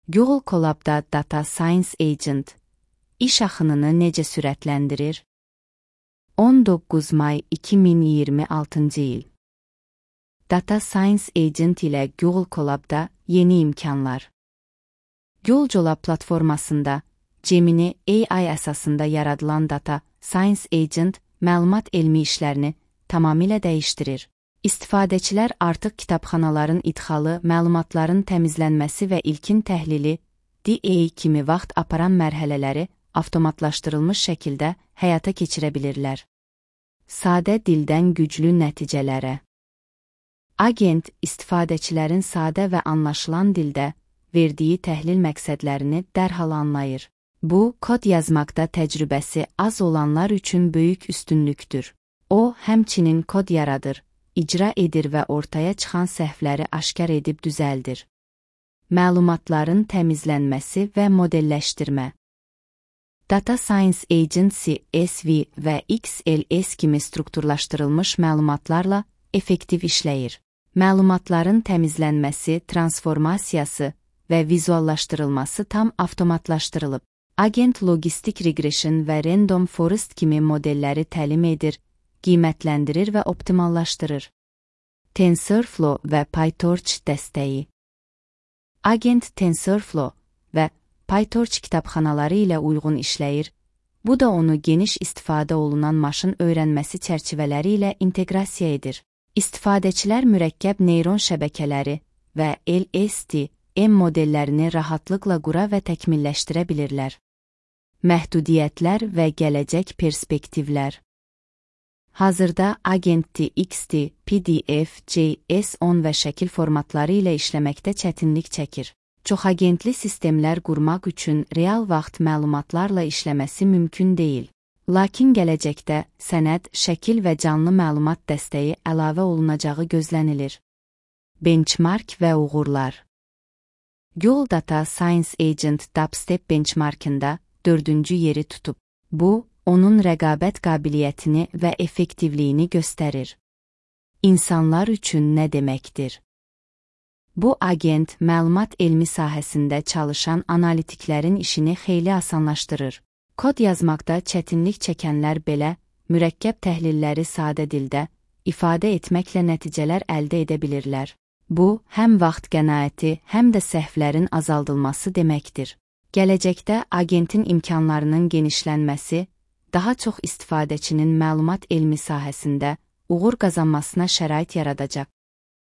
Google Colab'da Data Science Agent iş axınını necə sürətləndirir? 19 may 2026 il. Data Science Agent ilə Google Colab'da yeni imkanlar. Google Colab platformasında Gemini AI əsasında yaradılan Data Science Agent məlumat elmi işlərini tamamilə dəyişdirir. İstifadəçilər artıq kitabxanaların idxalı, məlumatların təmizlənməsi və ilkin təhlili, DA kimi vaxt aparan mərhələləri avtomatlaşdırılmış şəkildə həyata keçirə bilirlər. Sadə dildən güclü nəticələrə. Agent istifadəçilərin sadə və anlaşılan dildə verdiyi təhlil məqsədlərini dərhal anlayır. Bu, kod yazmaqda təcrübəsi az olanlar üçün böyük üstünlükdür. O, həmçinin kod yaradır, icra edir və ortaya çıxan səhvləri aşkar edib düzəldir. Məlumatların təmizlənməsi və modelləşdirmə. Data Science Agency SV və XLS kimi strukturlaşdırılmış məlumatlarla effektiv işləyir. Məlumatların təmizlənməsi, transformasiyası və vizuallaşdırılması tam avtomatlaşdırılıb. Agent logistik regression və random forest kimi modelləri təlim edir, qiymətləndirir və optimallaşdırır. TensorFlow və PyTorch dəstəyi. Agent TensorFlow və PyTorch kitabxanaları ilə uyğun işləyir, bu da onu geniş istifadə olunan maşın öyrənməsi çərçivələri ilə inteqrasiya edir. İstifadəçilər mürəkkəb neyron şəbəkələri və LSTM modellərini rahatlıqla qura və təkmilləşdirə bilirlər. Məhdudiyyətlər və gələcək perspektivlər. Hazırda Agent XT, PDF, JS10 və şəkil formatları ilə işləməkdə çətinlik çəkir. Çoxagentli sistemlər qurmaq üçün real vaxt məlumatlarla işləməsi mümkün deyil. Lakin gələcəkdə sənəd, şəkil və canlı məlumat dəstəyi əlavə olunacağı gözlənilir. Benchmark və uğurlar. Google Data Science Agent Dubstep benchmarkında 4-cü yeri tutub. Bu, onun rəqabət qabiliyyətini və effektivliyini göstərir. İnsanlar üçün nə deməkdir? Bu agent məlumat elmi sahəsində çalışan analitiklərin işini xeyli asanlaşdırır. Kod yazmaqda çətinlik çəkənlər belə mürəkkəb təhlilləri sadə dildə ifadə etməklə nəticələr əldə edə bilirlər. Bu, həm vaxt qənaəti, həm də səhvlərin azaldılması deməkdir. Gələcəkdə agentin imkanlarının genişlənməsi, daha çox istifadəçinin məlumat elmi sahəsində uğur qazanmasına şərait yaradacaq.